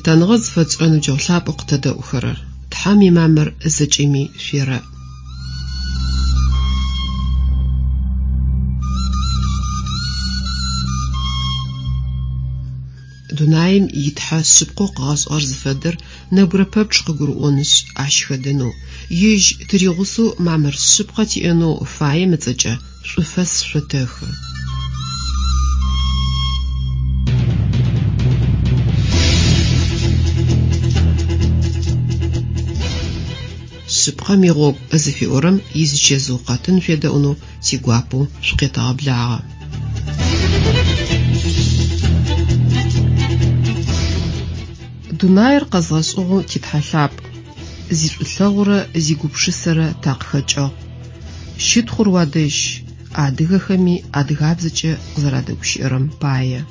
Лъытэныгъэ зыфэтшӏырэ ныбджэгъу лъапӏэу къытэдэӏухэрэр! Тхьэм имамыр зэкӏэми шъуерэӏ. Дунаим и Тхьэ шъыпкъэу къыгъэшӏыгъэр зыфэдэр нэбгырэ пэпчъ къыгурыӏонышъ, ащ хэдэнэу, Ежь тыригъусэу мамыр шъыпкъэ тиӏэнэу фаем ыцӏэкӏэ шӏуфэс шъотэхы. Шъыпкъэм игъогу зыфиӏорэм изичэзыу къэтын шъуедэӏунэу тигуапэу шъукъетэгъэблагъэ. Дунаир къэзгъэшӏыгъэу ти Тхьэ лъапӏ, зишӏулъэгъурэ зигупшысэрэ такъыхэкӏыгъ. Щытхъур уадэжь, адыгэхэми адыгабзэкӏэ къызэрадэгущыӏэрэм пае.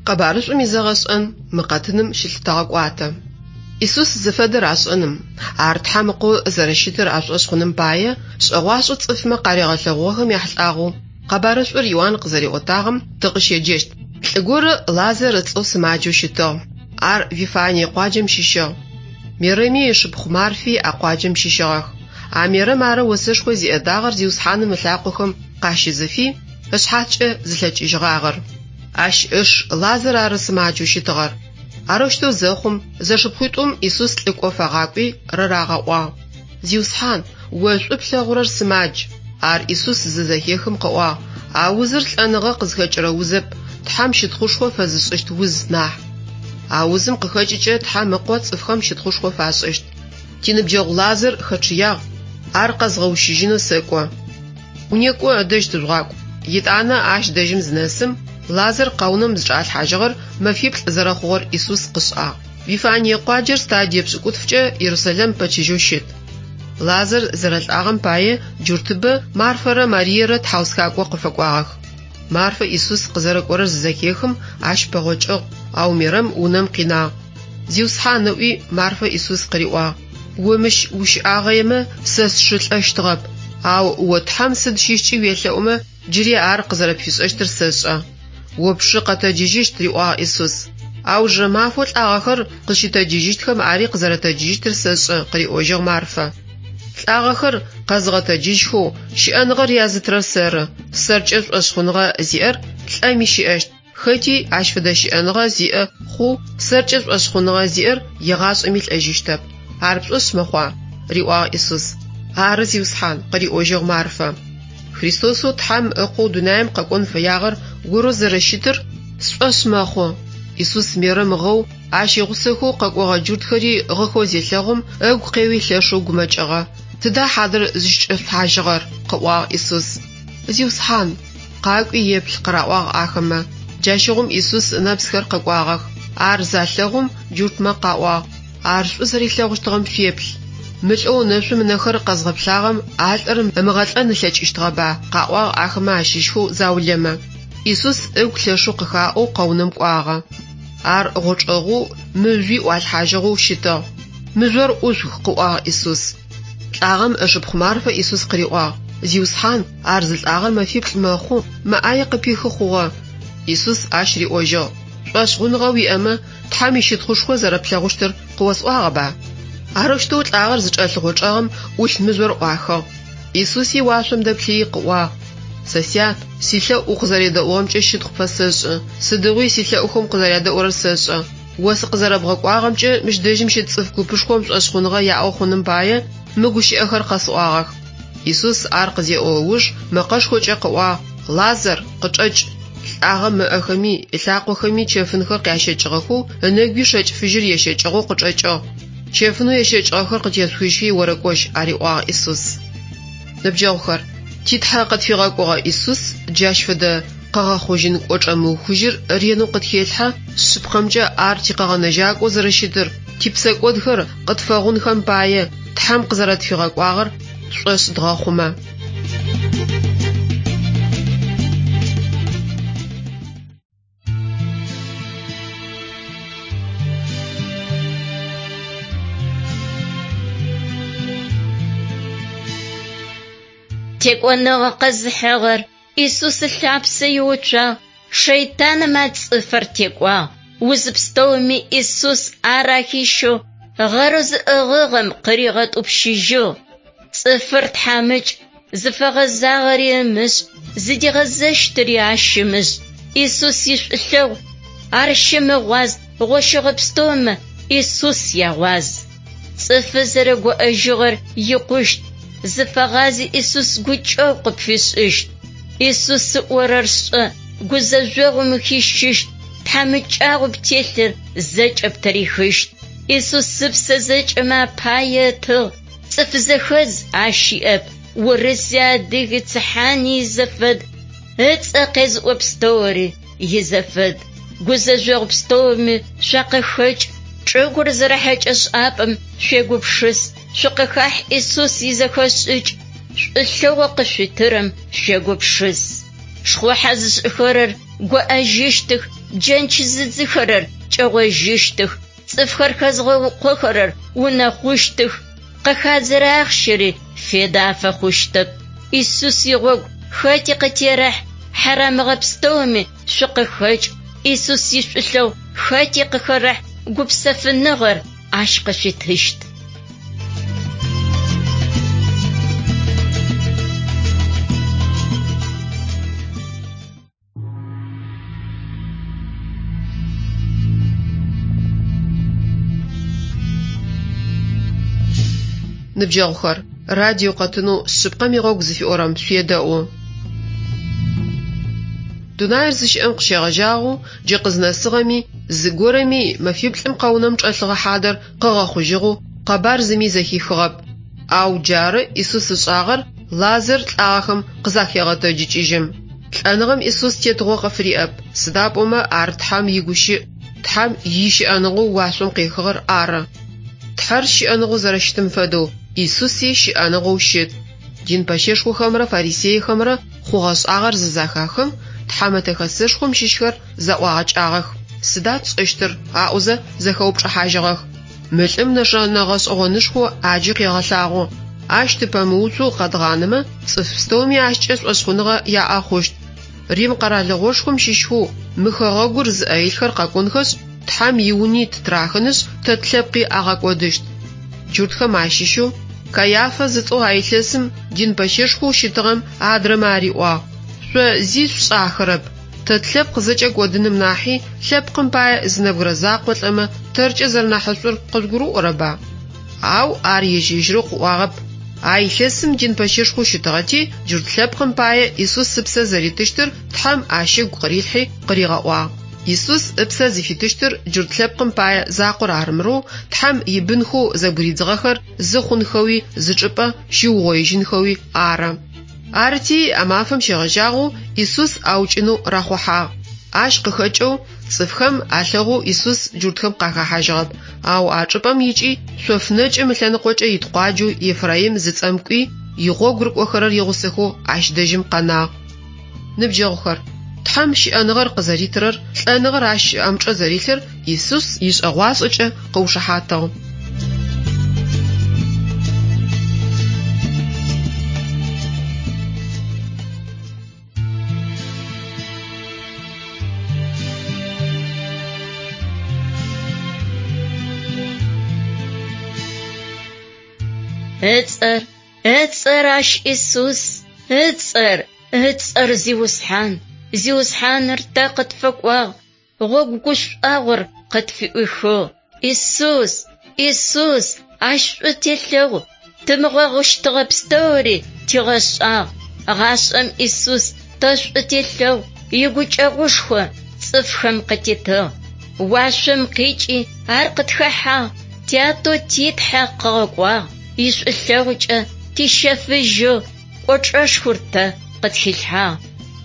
Къэбарышӏум изэгъэшӏэн мы къэтыным щылъытэгъэкӏуатэ. Исус зыфэдэр ашӏэным, ар Тхьэм Ыкъоу зэрэщытыр ашӏошъ хъуным пае, шӏэгъуашӏэу цӏыфмэ къаригъэлъэгъугъэхэм яхьылӏагъэу къэбарышӏур Иуан къызэриӏотагъэм тыкъыщеджэщт. Лӏы горэ Лазар ыцӏэу сымаджэу щытыгъ. Ар Вифание къуаджэм щыщыгъ. Мерэми ышыпхъу Марфи а къуаджэм щыщыгъэх. А Мерэм ары осэшхо зиӏэ дагъэр Зиусхьаным ылъакъохэм къащизыфи, ышъхьацкӏэ зылъэкӏыжьыгъагъэр. Ащ ыш Лазар ары сымаджэу щытыгъэр. Арэущтэу зэхъум, зэшыпхъуитӏум Исус лӏыкӏо фагъакӏуи рырагъэӏуагъ, Зиусхьан, о шӏу плъэгъурэр сымадж. Ар Исус зызэхехым къыӏуагъ, А узыр лӏэныгъэ къызхэкӏырэ узэп, Тхьэм щытхъушхо фэзышӏыщт уз нахь. А узым къыхэкӏыкӏэ Тхьэм Ыкъо цӏыфхэм щытхъушхо фашӏыщт. Тиныбджэгъу Лазар хэчъыягъ, ар къэзгъэущыжьынэу сэкӏо. Некӏо, ыдэжь тыжъугъакӏу. Етӏанэ ащ дэжьым зынэсым, Лазар къэунэм зычӏалъхьажьыгъэр мэфиплӏ зэрэхъугъэр Исус къышӏагъ. Вифание къуаджэр стадие пшӏыкӏутфкӏэ Ерусэлэм пэчыжьэу щыт. Лазар зэрэлӏагъэм пае джуртыбэ Марфэрэ Мариерэ тхьаусхакӏо къыфэкӏуагъэх. Марфэ Исус къызэрэкӏорэр зызэхехым, ащ пэгъокӏыгъ, ау Мерэм унэм къинагъ. Зиусхьан, ыӏуи, Марфэ Исус къыриӏуагъ, О мыщ ущыӏагъэемэ, сэ сшы лӏэщтыгъэп. Ау о Тхьэм сыд щыщкӏи уелъэӏумэ, джыри ар къызэрэпфишӏэщтыр сэшӏэ. О пшы къэтэджыжьыщт, риӏуагъ Исус. Аужырэ мафэу лӏагъэхэр къызщытэджыжьыщтхэм ари къызэрэтэджыжьыщтыр сэшӏэ, къыриӏожьыгъ Марфэ. Лӏагъэхэр къэзыгъэтэджыжьхэу, щыӏэныгъэр язытырэр сэры. Сэркӏэ шӏошъхъуныгъэ зиӏэр лӏэми щыӏэщт. Хэти ащ фэдэ щыӏэныгъэ зиӏэ хъоу сэркӏэ шӏошъхъуныгъэ зиӏэр егъашӏэми лӏэжьыщтэп. Ар пшӏошъ мэхъуа? риӏуагъ Исус. Ары, Зиусхьан, къыриӏожьыгъ Марфэ. Христосэу Тхьэм Ыкъоу дунаим къэкӏон фэягъэр орэу зэрэщытыр сшӏошъ мэхъу. Исус Мерэм гъэу, ащ игъусэхэу къэкӏогъэ джуртхэри гъыхэу зелъэгъум, ыгу къеуи лъэшэу гумэкӏыгъэ. Тыда хьадэр зыщычӏэшъулъхьажьыгъэр? къыӏуагъ Исус. Зиусхьан, къакӏуи еплъ, къыраӏуагъ ахэмэ. Джащыгъум Исус ынэпсхэр къэкӏуагъэх. Ар залъэгъум, джуртмэ къаӏуагъ, Ар шӏу зэрилъэгъущтыгъэм шъуеплъ. Мы лӏэу нэшъум ынэхэр къэзгъэплъагъэм а лӏыр ымыгъэлӏэн ылъэкӏыщтыгъэба? къаӏуагъ ахэмэ ащыщхэу заулэмэ. Исус ыгу лъэшэу къыхаӏоу къэунэм кӏуагъэ. Ар гъочӏэгъоу, мыжъуи ӏуалъхьажьыгъэу щытыгъ. Мыжъор ӏушъух, къыӏуагъ Исус. Лӏагъэм ышыпхъу Марфэ Исус къыриӏуагъ, Зиусхьан, ар зылӏагъэр мэфиплӏ мэхъу, мэ ӏае къыпихы хъугъэ. Исус ащ риӏожьыгъ, Шӏошъхъуныгъэ уиӏэмэ, Тхьэм ищытхъушхо зэрэплъэгъущтыр къыосӏуагъэба? Арэущтэу лӏагъэр зычӏэлъ гъочӏэгъым ӏулъ мыжъор ӏуахыгъ. Исуси уашъом дэплъыий къыӏуагъ, Сэ Сят, силъэӏу укъызэредэӏугъэмкӏэ щытхъу пфэсэшӏы, сыдигъуи силъэӏухэм укъызэрядэӏурэр сэшӏэ. О сыкъызэрэбгъэкӏуагъэмкӏэ мыщ дэжьым щыт цӏыф купышхом шӏошъхъуныгъэ яӏэу хъуным пае мы гущыӏэхэр къэсӏуагъэх. Исус ар къызеӏо ыуж мэкъэшхокӏэ къыӏуагъ, Лазар, къычӏэкӏ! Лӏагъэм ыӏэхэми, ылъакъохэми чэфынхэр къящэкӏыгъэхэу, ынэгуи шэкӏ фыжьыр ещэкӏыгъэу къычӏэкӏыгъ. Чэфынэу ещэкӏыгъэхэр къытешъухыжьхи орэкӏожь, ариӏуагъ Исус. Ныбджэгъухэр, ти Тхьэ къытфигъэкӏогъэ Исус джащ фэдэ. Къэгъэхъужьын кӏочӏэ мыухыжьыр ренэу къытхелъхьэ, шъыпкъэмкӏэ ар тикъэгъэнэжьакӏоу зэрэщытыр, типсэкӏодхэр къытфэгъунхэм пае, Тхьэм къызэрэтфигъэкӏуагъэр тшӏошъ дгъэхъумэ. Текӏоныгъэ къэзыхьыгъэр Исус ылъапсэ иуцуагъ, шэйтаным а цӏыфыр текӏуагъ. Уз пстэуми Исус ар ахищэу, гъэрэу зыӏыгъыгъэм къыригъэтӏупщыжьыгъ. Цӏыфыр тхьамыкӏ, зыфэгъэзагъэри ымышӏ, зыдигъэзэщтыри ащ ымышӏ. Исус ишӏулъэгъу ар щымыгъуаз, гъощэгъэ пстэумэ Исус ягъуаз. Цӏыфы зэрэгоӏэжьыгъэр икъущт, зыфэгъази Исус гукӏэгъу къыпфишӏыщт. Исус ыӏорэр шӏэ, гузэжъогъум ухищыщт, тхьамыкӏагъоу птелъыр зэкӏэ птырихыщт. Исус ыпсэ зэкӏэмэ апае ытыгъ, цӏыф зэхэдз ащ иӏэп, урыси адыги цыхьани изэфэд, ыцӏэ къезыӏо пстэури изэфэд. Гузэжъогъу пстэуми шъуакъыхэкӏ, чӏыгур зэрэхьэкӏэшӏапӏэм шъуегупшыс, шъукъыхахь Исус изэхэшӏыкӏ, шӏулъэгъоу къышъуитырэм шъуегупшыс. Шхъухьэ зышӏыхэрэр гоӏэжьыщтых, джэнч зыдзыхэрэр кӏэгъожьыщтых, цӏыфхэр хэзгъэукъохэрэр унэхъущтых, къыхадзэрэ ахъщэри федэ афэхъущтэп. Исус игъогу хэти къытерэхь, хьарамыгъэ пстэуми шъукъыхэкӏ, Исус ишӏулъэгъу хэти къыхэрэхь, гупсэфыныгъэр ащ къышъуитыщт. Ныбджэгъухэр, радио къэтынэу Шъыпкъэм игъогу зыфиӏорэм шъуедэӏу. Дунаир зыщыӏэм къыщегъэжьагъэу джы къызнэсыгъэми, зыгорэми мэфиплӏым къэунэм чӏэлъыгъэ хьадэр къыгъэхъужьыгъэу къэбар зыми зэхихыгъэп. Ау джары Исус ышӏагъэр Лазар лӏагъэхэм къызахегъэтэджыкӏыжьым. Лӏэныгъэм Исус тетыгъо къыфыриӏэп, сыда пӏомэ ар Тхьэм игущыӏ, Тхьэм ищыӏэныгъэу уашъом къехыгъэр ары. Тхьэр щыӏэныгъэу зэрэщытым фэдэу, Исуси щыӏэныгъэу щыт. Дин пэщэшхохэмрэ фарисейхэмрэ хъугъэ-шӏагъэр зызэхахым, Тхьэмэтэ Хэсэшхом щыщхэр зэӏуагъэкӏагъэх. Сыда тшӏэщтыр? аӏозэ зэхэупчӏыхьажьыгъэх. Мы лӏым нэшэнэ гъэшӏэгъонышхо ӏаджи къегъэлъагъо. Ащ тыпэмыуцоу къэдгъанэмэ, цӏыф пстэуми ащкӏэ шӏошъхъуныгъэ яӏэ хъущт. Рим къэралыгъошхом щыщхэу мы хэгъэгур зыӏэ илъхэр къэкӏонхэшъ, Тхьэм иуни ттырахынышъ, тэ тлъэпкъи агъэкӏодыщт. Джуртхэм ащыщэу Кайафэ зыцӏэу а илъэсым дин пэщэшхоу щытыгъэм адрэмэ ариӏуагъ, Шъо зи шъушӏахэрэп. Тэ тлъэпкъ зэкӏэ кӏодыным нахьи, лъэпкъым пае зы нэбгырэ закъо лӏэмэ, тэркӏэ зэрэнахьышӏур къыжъугурыӏорэба? Ау ар ежь-ежьырэу къыӏуагъэп. А илъэсым дин пэщэшхоу щытыгъэти, джурт лъэпкъым пае Исус ыпсэ зэритыщтыр Тхьэм ащ ыгу къырилъхьи къыригъэӏуагъ. Исус ыпсэ зыфитыщтыр джурт лъэпкъым пае закъор арымырэу, Тхьэм ибынхэу зэбгыридзыгъэхэр зы хъунхэуи зы чӏыпӏэ щиугъоижьынхэуи ары. Арыти, а мафэм щегъэжьагъэу Исус аукӏынэу рахъухьагъ. Ащ къыхэкӏэу цӏыфхэм алъэгъоу Исус джуртхэм къахэхьажьыгъэп, ау а чӏыпӏэм икӏи шъоф нэкӏым ылъэныкъокӏэ ит къуаджэу Ефраим зыцӏэм кӏуи, игъогу рыкӏохэрэр игъусэхэу ащ дэжьым къэнагъ. Ныбджэгъухэр, Тхьэм щыӏэныгъэр къызэритырэр, лӏэныгъэр ащ ыӏэмычӏэ зэрилъыр Исус ишӏэгъуашӏэкӏэ къыушыхьатыгъ. Ыцӏэр, ыцӏэр ащ Исус, ыцӏэр, ыцӏэр Зиусхьан. Зиусхьаныр тэ къытфэкӏуагъ, гъогу гушӏуагъор къытфыӏуихыгъ. Исус, Исус, ащ шӏу телъэгъу, тымыгъэгъущтыгъэ пстэури тигъэшӏагъ. Гъашӏэм Исус тэ шӏу телъэгъу, игукӏэгъушхо цӏыфхэм къытитыгъ. Уашъом къикӏи ар къытхэхьагъ, тятэу ти Тхьэ къыгъэкӏуагъ, ишӏулъэгъукӏэ тищэфыжьыгъ, кӏочӏэшхор тэ къытхилъхьагъ.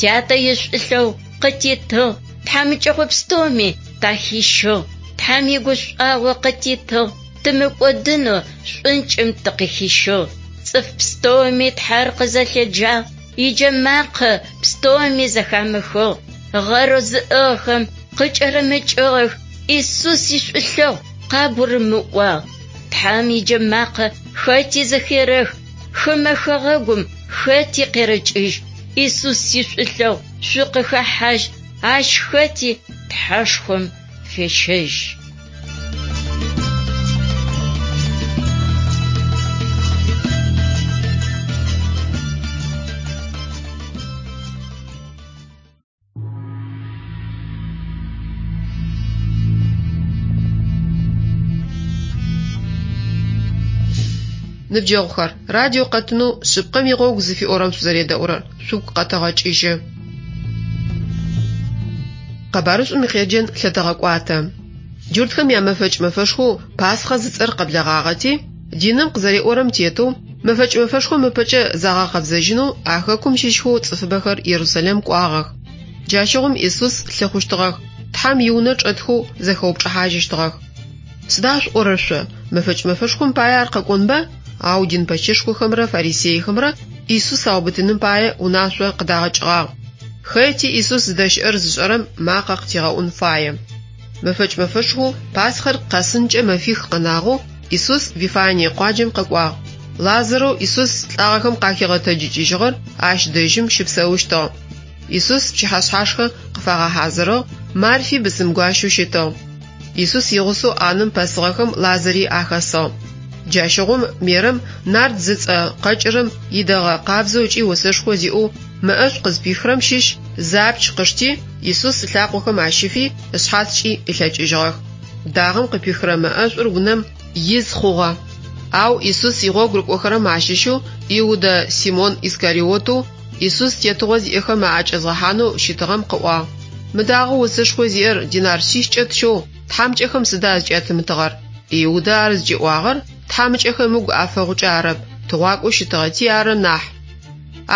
Тятэ ишӏулъэгъу къытитыгъ, тхьамыкӏэгъо пстэуми тахищыгъ. Тхьэм игушӏуагъо къытитыгъ, тымыкӏодынэу шӏункӏым тыкъыхищыгъ. Цӏыф пстэуми Тхьэр къызэлъеджагъ, иджэмакъэ пстэуми зэхамыхыгъ. Гъэрэу зыӏыгъхэм къыкӏэрымыкӏыгъэх, Исус ишӏулъэгъу къагурымыӏуагъ. Тхьэм иджэмакъэ хэти зэхерэх, хымэ хэгъэгум хэти къерэкӏыжь. Исус ишӏулъэгъу шъукъыхэхьажь, ащ хэти Тхьэшхом фещэжь. Ныбджэгъухэр, радио къэтынэу Шъыпкъэм игъогу зыфиӏорэм шъузэредэӏурэр шъугу къэтэгъэкӏыжьы. Къэбарышӏум икъеджэн лъэтэгъэкӏуатэ. Джуртхэм ямэфэкӏ мэфэшхоу Пасхъэ зыцӏэр къэблэгъагъэти, диным къызэриӏорэм тетэу, мэфэкӏ мэфэшхом ыпэкӏэ загъэкъэбзэжьынэу а хэкум щыщхэу цӏыфыбэхэр Ерусалим кӏуагъэх. Джащыгъум Исус лъыхъущтыгъэх, Тхьэм иунэ чӏэтхэу зэхэупчӏыхьажьыщтыгъэх. Сыда шъуӏорэр шъо? Мэфэкӏ мэфэшхом пае ар къэкӏонба? Ау дин пэщэшхохэмрэ фарисейхэмрэ Исус аубытыным пае унашъо къыдагъэкӏыгъагъ. Хэти Исус зыдэщыӏэр зышӏэрэм макъэ къытигъэӏун фае. Мэфэкӏ мэфэшхоу Пасхэр къэсынкӏэ мэфих къэнагъэу Исус Вифание къуаджэм къэкӏуагъ. Лазарэу Исус лӏагъэхэм къахигъэтэджыкӏыжьыгъэр ащ дэжьым щыпсэущтыгъ. Исус пчыхьэшъхьашхэ къыфагъэхьазырыгъ, Марфи бысымгуащэу щытыгъ. Исус игъусэу ӏанэм пэсыгъэхэм Лазари ахэсыгъ. Джащыгъум Мерэм нард зыцӏэ къэкӏырэм идэгъэ къабзэу ыкӏи осэшхо зиӏэу мэӏэшӏу къызпихырэм щыщ зы апч къышти, Исус ылъакъохэм ащифи, ышъхьацкӏи ылъэкӏыжьыгъэх. Дагъэм къыпихырэ мэӏэшӏур унэм из хъугъэ. Ау Исус игъогу рыкӏохэрэм ащыщэу Иудэ Симон Искариотэу Исус тетыгъо зиӏэхэм аӏэкӏэзгъэхьанэу щытыгъэм къыӏуагъ: Мы дагъэу осэшхо зиӏэр динар шъищкӏэ тщэу тхьамыкӏэхэм сыда зыкӏятымытыгъэр? Иудэ ар зыкӏиӏуагъэр тхьамыкӏэхэм ыгу афэгъукӏэ арэп, тыгъуакӏоу щытыгъэти ары нахь.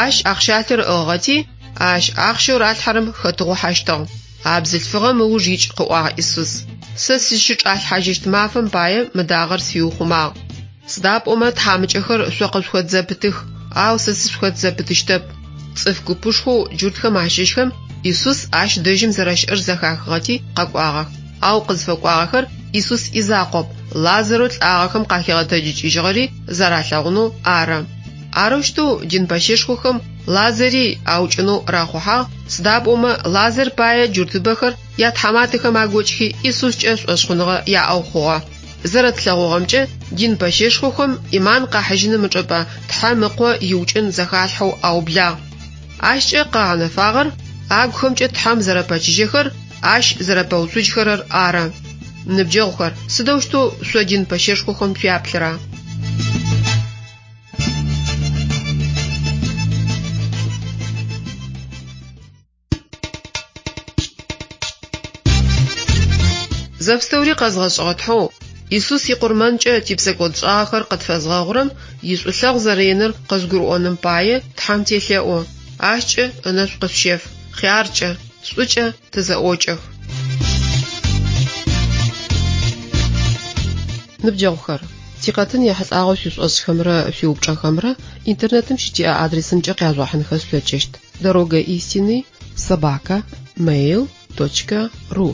Ащ ахъщалъэр ыӏыгъыгъэти, ащ ахъщэу ралъхьэрэм хэтыгъухьэщтыгъ. А бзылъфыгъэм ыуж икӏ, къыӏуагъ Исус. Сэ сызщычӏалъхьажьыщт мафэм пае мы дагъэр сфиухъумагъ. Сыда пӏомэ тхьамыкӏэхэр шъо къышъухэт зэпытых, ау сэ сышъухэт зэпытыщтэп. Цӏыф купышхоу джуртхэм ащыщхэм Исус ащ дэжьым зэрэщыӏэр зэхахыгъэти къэкӏуагъэх. Ау къызфэкӏуагъэхэр Исус изакъоп, Лазарэу лӏагъэхэм къахигъэтэджыкӏыжьыгъэри зэралъэгъунэу ары. Арэущтэу дин пэщэшхохэм Лазари аукӏынэу рахъухьагъ, сыда пӏомэ Лазар пае джуртыбэхэр ятхьаматэхэм агокӏхи Исускӏэ шӏошъхъуныгъэ яӏэу хъугъэ. Зэрэтлъэгъугъэмкӏэ, дин пэщэшхохэм ӏиман къахьыжьыным ычӏыпӏэ Тхьэм Ыкъо иукӏын зэхалъхьэу аублагъ. Ащкӏэ къагъэнэфагъэр агухэмкӏэ Тхьэм зэрэпэчыжьэхэр, Ащ зэрэпэуцужьхэрэр ары. Ныбджэгъухэр, сыдэущтэу шъо дин пэщэшхохэм шъуяплъыра? Зэпстэури къэзгъэшӏыгъэ Тхьэу, Исус икъурмэнкӏэ типсэкӏодшӏагъэхэр къытфэзгъэгъурэм ишӏулъэгъу зэрэиныр къызгурыӏоным пае Тхьэм телъэӏу. Ащкӏэ ынэшӏу къышъущеф, хъяркӏэ, шӏукӏэ тызэӏокӏэх. Ныбджэгъухэр, тикъэтын ехьылӏагъэу шъуишӏошӏхэмрэ шъуиупчӏэхэмрэ интернетым щытиӏэ адресымкӏэ къяжъугъэхьынхэ шъулъэкӏыщт: Дорога истины собака mail точка ru.